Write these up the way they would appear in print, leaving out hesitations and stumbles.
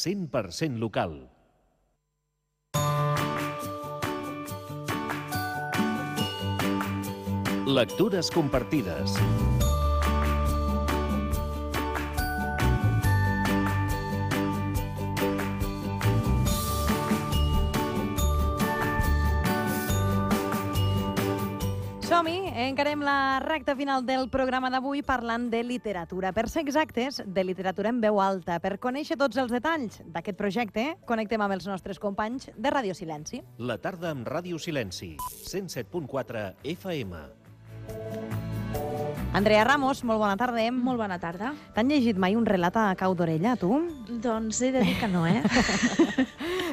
100% local. Lectures compartides. Som-hi, encarem la recta final del programa d'avui parlant de literatura. Per ser exactes, de literatura en veu alta. Per conèixer tots els detalls d'aquest projecte, connectem amb els nostres companys de Ràdio Silenci. La tarda amb Ràdio Silenci, 107.4 FM. Andrea Ramos, molt bona tarda. Molt bona tarda. T'han llegit mai un relat a cau d'orella, tu? Doncs he de dir que no,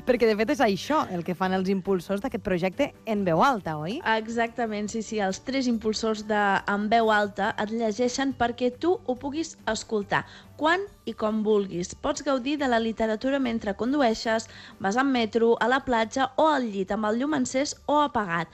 Perquè, de fet, és això el que fan els impulsors d'aquest projecte en veu alta, oi? Exactament, sí. Els 3 impulsors En veu alta et llegeixen perquè tu ho puguis escoltar quan i com vulguis. Pots gaudir de la literatura mentre condueixes, vas en metro, a la platja o al llit, amb el llum encès o apagat.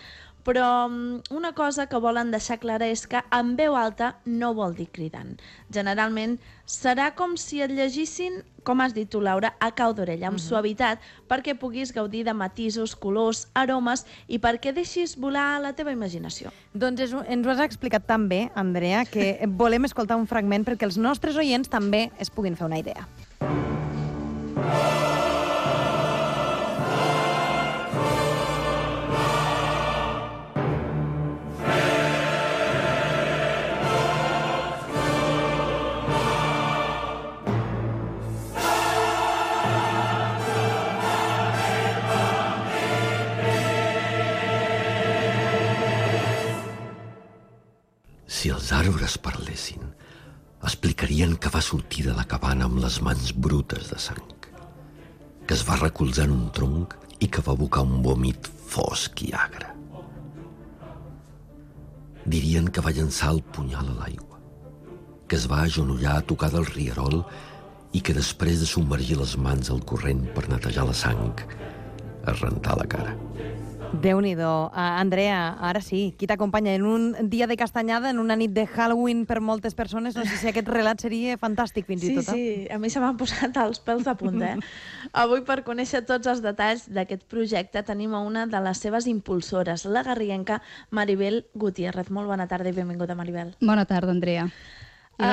Però una cosa que volen deixar clara és que en veu alta no vol dir cridant. Generalment serà com si et llegissin, com has dit tu, Laura, a cau d'orella, amb suavitat, perquè puguis gaudir de matisos, colors, aromes i perquè deixis volar la teva imaginació. Doncs ens ho has explicat tan bé, Andrea, que volem escoltar un fragment perquè els nostres oients també es puguin fer una idea. Si els arbres parlessin, explicarien que va sortir de la cabana amb les mans brutes de sang, que es va recolzar en un tronc i que va abocar un vòmit fosc i agre. Dirien que va llançar el punyal a l'aigua, que es va agenollar a tocar del rierol i que després de submergir les mans al corrent per netejar la sang, es rentà la cara. Déu-n'hi-do. Andrea, ara sí, qui t'acompanya en un dia de castanyada, en una nit de Halloween per moltes persones? No sé si aquest relat seria fantàstic fins i tot. Sí, a mi se m'han posat els pèls a punt, Avui, per conèixer tots els detalls d'aquest projecte, tenim a una de les seves impulsores, la garriguenca Maribel Gutiérrez. Molt bona tarda i benvinguda, Maribel. Bona tarda, Andrea. I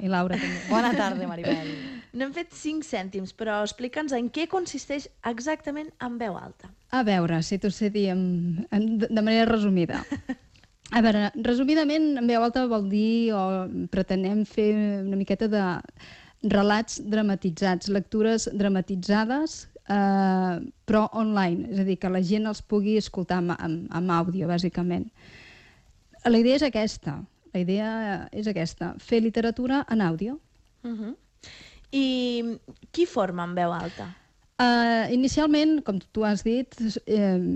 Laura també. Bona tarda, Maribel. No hem fet 5 cèntims, però explica'ns en què consisteix exactament En veu alta. A veure, si t'ho sé dir de manera resumida. A veure, resumidament, En veu alta vol dir, o pretenem fer una miqueta de relats dramatitzats, lectures dramatitzades, però online, és a dir, que la gent els pugui escoltar amb àudio, bàsicament. La idea és aquesta, fer literatura en àudio. I qui forma En veu alta? Inicialment, com tu has dit,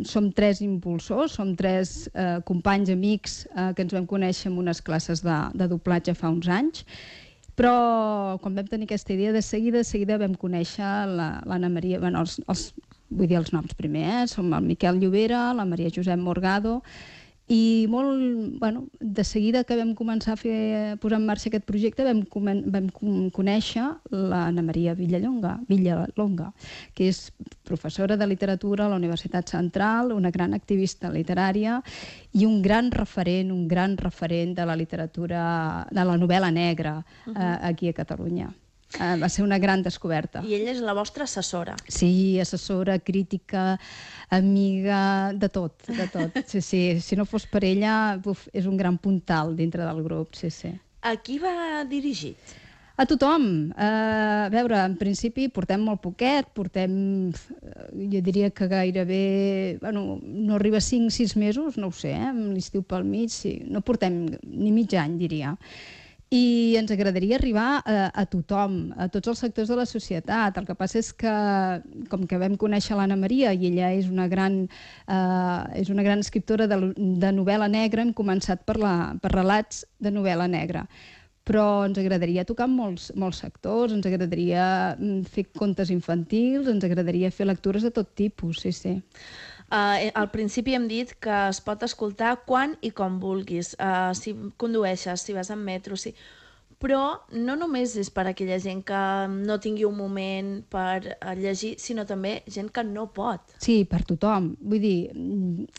som 3 impulsors, som 3 companys, amics, que ens vam conèixer en unes classes de doblatge fa uns anys, però quan vam tenir aquesta idea, de seguida vam conèixer l'Anna Maria, vull dir els noms primer, som el Miquel Llobera, la Maria Josep Morgado, i de seguida que vam començar a posar en marxa aquest projecte vam conèixer l'Anna Maria Villalonga, que és professora de literatura a la Universitat Central, una gran activista literària i un gran referent de la literatura, de la novel·la negra aquí a Catalunya. Va ser una gran descoberta. I ella és la vostra assessora. Sí, assessora, crítica, amiga, de tot. Sí. Si no fos per ella, és un gran puntal dintre del grup, sí. A qui va dirigit? A tothom. A veure, en principi portem molt poquet, jo diria que gairebé, no arriba a 5-6 mesos, no ho sé, amb l'estiu pel mig, sí. No portem ni mig any, diria. I ens agradaria arribar a tothom, a tots els sectors de la societat. El que passa és que, com que vam conèixer l'Anna Maria i ella és una gran escriptora de novel·la negra, hem començat per relats de novel·la negra. Però ens agradaria tocar molts sectors, ens agradaria fer contes infantils, ens agradaria fer lectures de tot tipus, sí. Al principi hem dit que es pot escoltar quan i com vulguis, si condueixes, si vas en metro, Però no només és per a aquella gent que no tingui un moment per llegir, sinó també gent que no pot. Sí, per tothom. Vull dir,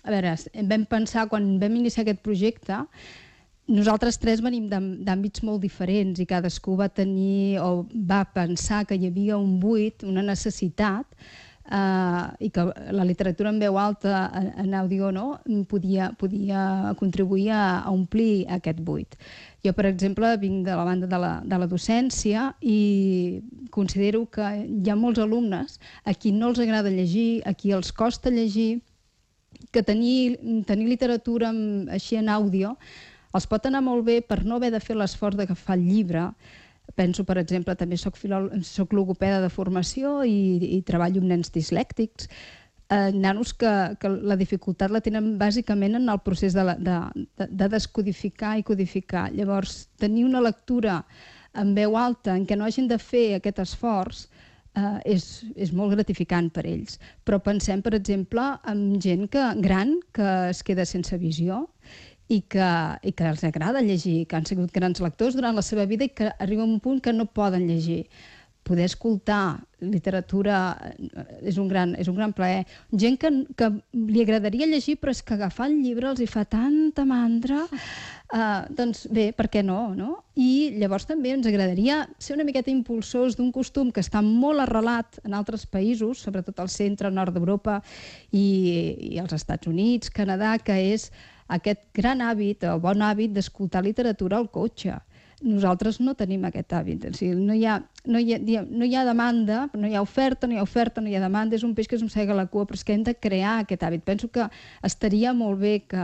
a veure, vam pensar, quan vam iniciar aquest projecte, nosaltres tres venim d'àmbits molt diferents i cadascú va tenir o va pensar que hi havia un buit, una necessitat, i que la literatura en veu alta en àudio podia contribuir a omplir aquest buit. Jo, per exemple, vinc de la banda de la docència i considero que hi ha molts alumnes a qui no els agrada llegir, a qui els costa llegir, que tenir literatura així en àudio els pot anar molt bé per no haver de fer l'esforç d'agafar el llibre. Penso, per exemple, també soc logopeda de formació i treballo amb nens dislèctics, nanos que la dificultat la tenen bàsicament en el procés de descodificar i codificar. Llavors, tenir una lectura en veu alta en què no hagin de fer aquest esforç és molt gratificant per ells. Però pensem, per exemple, en gent gran que es queda sense visió i que els agrada llegir, que han sigut grans lectors durant la seva vida i que arriba a un punt que no poden llegir. Poder escoltar literatura és un gran plaer. Gent que li agradaria llegir, però és que agafar el llibre els hi fa tanta mandra. Doncs bé, per què no? I llavors també ens agradaria ser una miqueta impulsors d'un costum que està molt arrelat en altres països, sobretot al centre, nord d'Europa i als Estats Units, Canadà, que és aquest gran hàbit o bon hàbit d'escoltar literatura al cotxe. Nosaltres no tenim aquest hàbit. O sigui, no hi ha demanda, no hi ha oferta, no hi ha demanda, és un peix que es mossega la cua, però és que hem de crear aquest hàbit. Penso que estaria molt bé que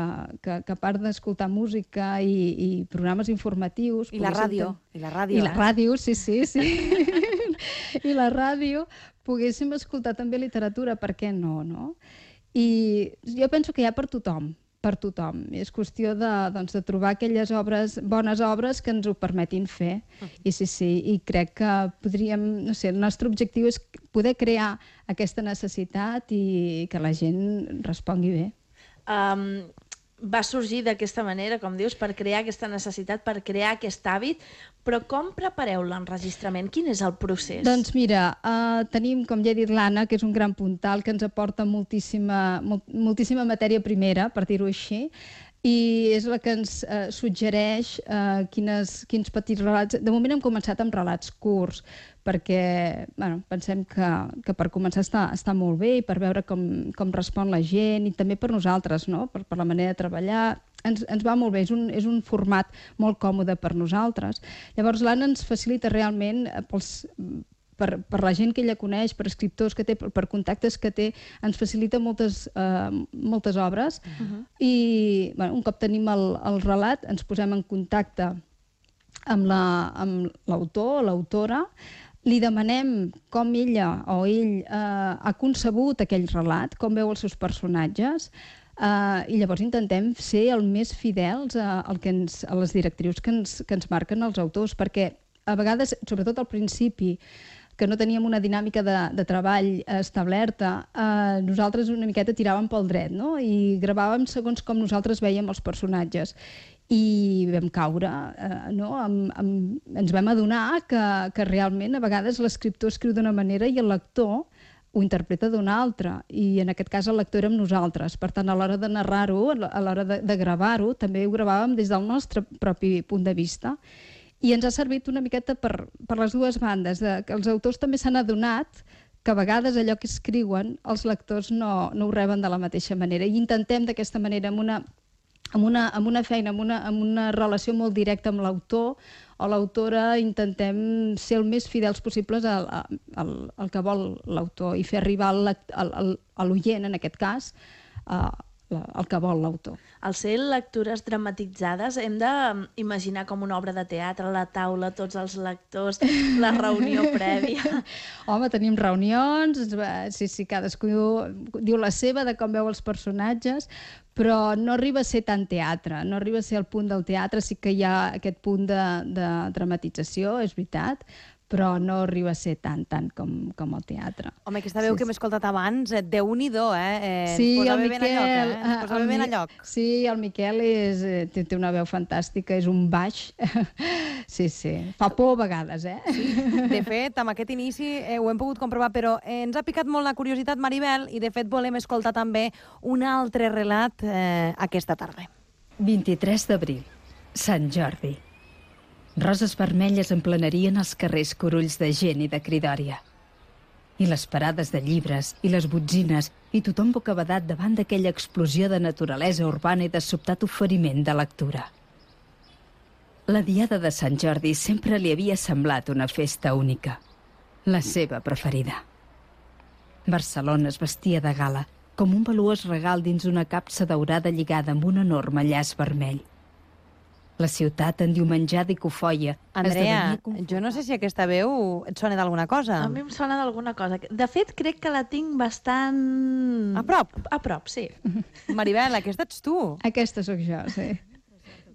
a part d'escoltar música i programes informatius... I la ràdio. I la ràdio, sí. I la ràdio, poguéssim escoltar també literatura, per què no? I jo penso que hi ha per tothom. És qüestió de trobar aquelles bones obres que ens ho permetin fer. I i crec que podríem, no sé, el nostre objectiu és poder crear aquesta necessitat i que la gent respongui bé. Va sorgir d'aquesta manera, com dius, per crear aquesta necessitat, per crear aquest hàbit, però com prepareu l'enregistrament? Quin és el procés? Doncs mira, tenim, com ja he dit, l'Anna, que és un gran puntal, que ens aporta moltíssima matèria primera, per dir-ho així, i és la que ens suggereix quins petits relats... De moment hem començat amb relats curts, perquè pensem que per començar està molt bé i per veure com respon la gent i també per nosaltres, per la manera de treballar. Ens va molt bé, és un format molt còmode per nosaltres. Llavors l'Anna ens facilita realment per la gent que ella coneix, per escriptors que té, per contactes que té, ens facilita moltes obres. I un cop tenim el relat, ens posem en contacte amb l'autor o l'autora, li demanem com ella o ell ha concebut aquell relat, com veu els seus personatges, i llavors intentem ser el més fidels a les directrius que ens marquen els autors, perquè a vegades, sobretot al principi, que no teníem una dinàmica de treball establerta, nosaltres una miqueta tiràvem pel dret, i gravàvem segons com nosaltres veiem els personatges. I vam caure, ens vam adonar que realment a vegades l'escriptor escriu d'una manera i el lector ho interpreta d'una altra, i en aquest cas el lector érem nosaltres. Per tant, a l'hora de narrar-ho, a l'hora de gravar-ho, també ho gravàvem des del nostre propi punt de vista. I ens ha servit una miqueta per les dues bandes, que els autors també s'han adonat que a vegades allò que escriuen els lectors no ho reben de la mateixa manera. I intentem d'aquesta manera, amb una feina, amb una relació molt directa amb l'autor o l'autora, intentem ser el més fidels possibles al que vol l'autor i fer arribar a l'oient, en aquest cas, el que vol l'autor. Al ser lectures dramatitzades hem d'imaginar com una obra de teatre, la taula, tots els lectors, la reunió prèvia. Home, tenim reunions, sí, cadascú diu la seva de com veu els personatges, però no arriba a ser tant teatre, no arriba a ser el punt del teatre, sí que hi ha aquest punt de dramatització, és veritat, però no arriba a ser tant com el teatre. Home, aquesta veu que hem escoltat abans, Déu-n'hi-do, Sí, es posa el bé ben a lloc, Miquel, es posa bé ben a lloc. Sí, el Miquel té una veu fantàstica, és un baix. Sí. Fa por a vegades, De fet, amb aquest inici ho hem pogut comprovar, però ens ha picat molt la curiositat, Maribel, i de fet volem escoltar també un altre relat aquesta tarda. 23 d'abril, Sant Jordi. Roses vermelles emplenarien els carrers corulls de gent i de cridòria. I les parades de llibres, i les botzines, i tothom bocabadat davant d'aquella explosió de naturalesa urbana i de sobtat oferiment de lectura. La diada de Sant Jordi sempre li havia semblat una festa única, la seva preferida. Barcelona es vestia de gala, com un valuós regal dins una capsa daurada lligada amb un enorme llaç vermell. La ciutat endiumenjada i cofoia Andrea, jo no sé si aquesta veu et sona d'alguna cosa. A mi em sona d'alguna cosa. De fet, crec que la tinc bastant... A prop? A prop, sí. Maribel, aquesta ets tu. Aquesta sóc jo, sí.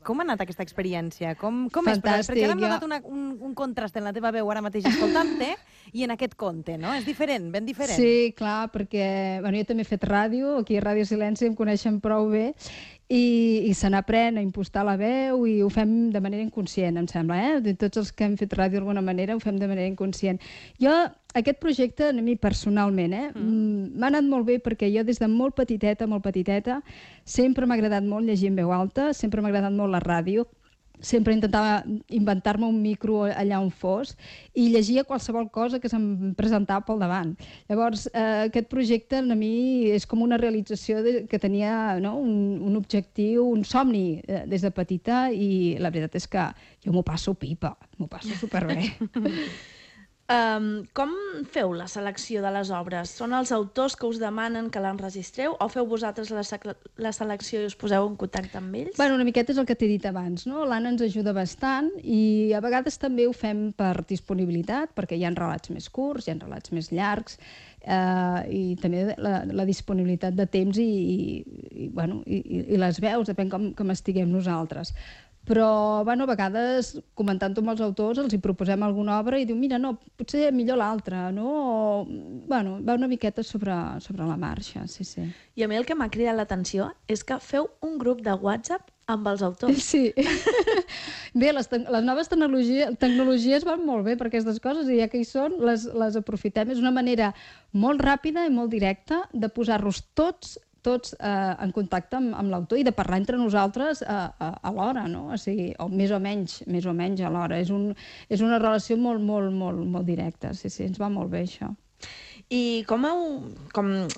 Com ha anat aquesta experiència? Com és? Fantàstic, Perquè ara hem jo- notat un contrast en la teva veu ara mateix escoltant-te i en aquest conte, no? És diferent, ben diferent. Sí, clar, perquè jo també he fet ràdio, aquí a Ràdio Silenci em coneixen prou bé, i se n'aprèn a impostar la veu i ho fem de manera inconscient, em sembla, De tots els que hem fet ràdio d'alguna manera ho fem de manera inconscient. Jo, aquest projecte, a mi personalment, m'ha anat molt bé perquè jo des de molt petiteta, sempre m'ha agradat molt llegir en veu alta, sempre m'ha agradat molt la ràdio, sempre intentava inventar-me un micro allà on fos i llegia qualsevol cosa que se'm presentava pel davant. Llavors, aquest projecte a mi és com una realització que tenia un objectiu, un somni des de petita, i la veritat és que jo m'ho passo pipa, m'ho passo superbé. Com feu la selecció de les obres? Són els autors que us demanen que l'enregistreu o feu vosaltres la selecció i us poseu en contacte amb ells? Una miqueta és el que t'he dit abans, no? L'Anna ens ajuda bastant i a vegades també ho fem per disponibilitat, perquè hi ha relats més curts, hi ha relats més llargs, i també la disponibilitat de temps i les veus, depèn com estiguem nosaltres. Però, a vegades, comentant-ho amb els autors, els hi proposem alguna obra i diu, mira, no, potser millor l'altra, no? Va una miqueta sobre la marxa, sí. I a mi el que m'ha cridat l'atenció és que feu un grup de WhatsApp amb els autors. Sí. Bé, les noves tecnologies van molt bé per aquestes coses i ja que hi són, les aprofitem. És una manera molt ràpida i molt directa de posar-nos tots en contacte amb l'autor i de parlar entre nosaltres alhora, no? O sigui, o més o menys alhora. És una relació molt directa. Sí, ens va molt bé, això. I com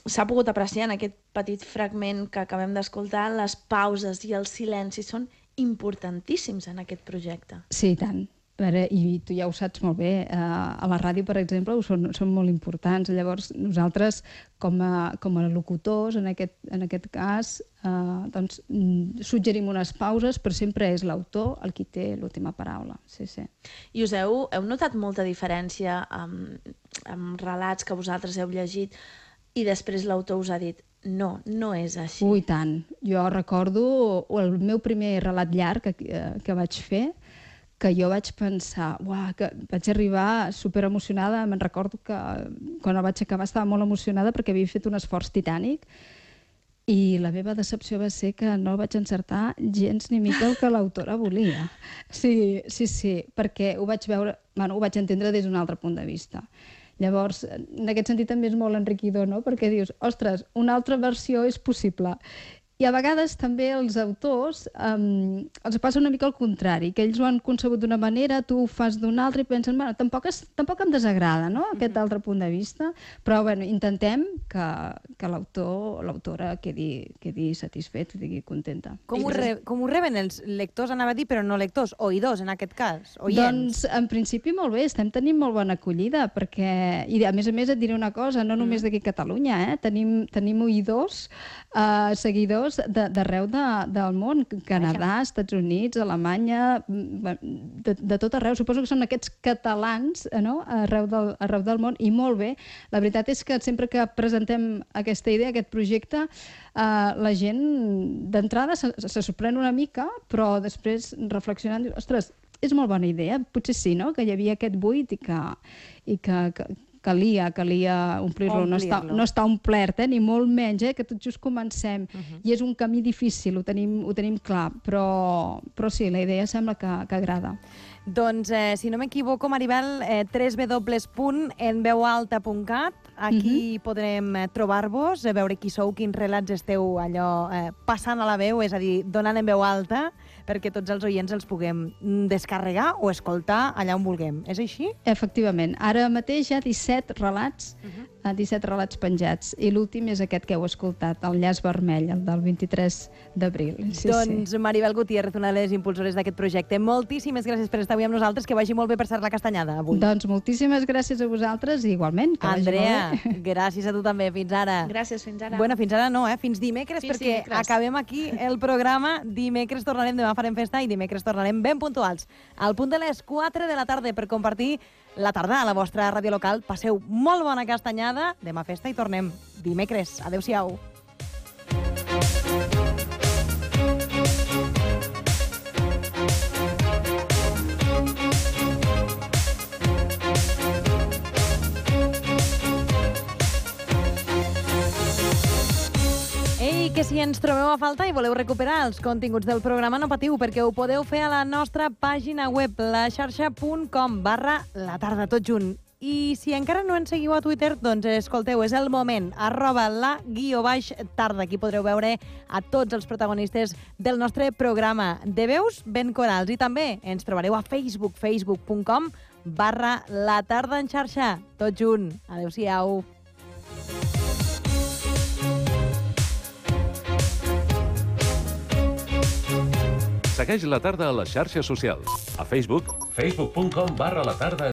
s'ha pogut apreciar en aquest petit fragment que acabem d'escoltar, les pauses i els silencis són importantíssims en aquest projecte. Sí, i tant. I tu ja ho saps molt bé, a la ràdio, per exemple, són molt importants. Llavors, nosaltres, com a locutors, en aquest cas, suggerim unes pauses, però sempre és l'autor el qui té l'última paraula. Sí. I us heu notat molta diferència amb relats que vosaltres heu llegit i després l'autor us ha dit no és així? Ui, tant. Jo recordo el meu primer relat llarg que vaig fer, que jo vaig pensar, que vaig arribar superemocionada. Me'n recordo que quan el vaig acabar estava molt emocionada perquè havia fet un esforç titànic i la meva decepció va ser que no vaig encertar gens ni mica el que l'autora volia. Sí, perquè ho vaig veure, ho vaig entendre des d'un altre punt de vista. Llavors, en aquest sentit també és molt enriquidor, no? Perquè dius, ostres, una altra versió és possible. I a vegades també els autors els passa una mica al contrari, que ells ho han concebut d'una manera, tu ho fas d'una altra i pensen, tampoc em desagrada, no?, aquest altre punt de vista, però intentem que l'autora quedi satisfet, quedi contenta. Com ho reben els lectors, anava a dir, però no lectors, oïdors en aquest cas, oients? Doncs en principi molt bé, estem tenint molt bona acollida, perquè, i a més et diré una cosa, no només d'aquí a Catalunya, tenim oïdors, seguidors d'arreu del món, Canadà, Estats Units, Alemanya, de tot arreu. Suposo que són aquests catalans arreu del món, i molt bé. La veritat és que sempre que presentem aquesta idea, aquest projecte, la gent d'entrada se sorprèn una mica, però després reflexionant diu, ostres, és molt bona idea. Potser sí, no?, que hi havia aquest buit i que calia omplir-lo. No està omplert, ni molt menys, que tot just comencem. I és un camí difícil, ho tenim clar, però sí, la idea sembla que agrada. Doncs, si no m'equivoco, Maribel, www.enveualta.cat, aquí podrem trobar-vos, veure qui sou, quins relats esteu allò passant a la veu, és a dir, donant en veu alta, perquè tots els oients els puguem descarregar o escoltar allà on vulguem. És així? Efectivament. Ara mateix hi ha 17 relats, 17 relats penjats, i l'últim és aquest que heu escoltat, el Llaç Vermell, el del 23 d'abril. Doncs Maribel Gutiérrez, una de les impulsores d'aquest projecte, moltíssimes gràcies per estar avui amb nosaltres, que vagi molt bé per ser la Castanyada avui. Doncs moltíssimes gràcies a vosaltres i igualment. Andrea, gràcies a tu també. Fins ara. Gràcies, fins ara. Bueno, fins ara no, fins dimecres, perquè acabem aquí el programa. Dimecres tornarem, demà farem festa i dimecres tornarem ben puntuals. Al punt de les 4 de la tarda per compartir la tarda a la vostra ràdio local. Passeu molt bona Castanyada, demà festa i tornem dimecres. Adéu-siau. Ei, que si ens trobeu a falta i voleu recuperar els continguts del programa, no patiu, perquè ho podeu fer a la nostra pàgina web, laxarxa.com/la tarda, tot junt. I si encara no ens seguiu a Twitter, doncs escolteu, és el moment, @la_tarda. Aquí podreu veure a tots els protagonistes del nostre programa de veus ben corals. I també ens trobareu a Facebook, facebook.com/la tarda en xarxa. Tot junt. Adéu-siau. Segueix la tarda a les xarxes socials. A Facebook, facebook.com/la tarda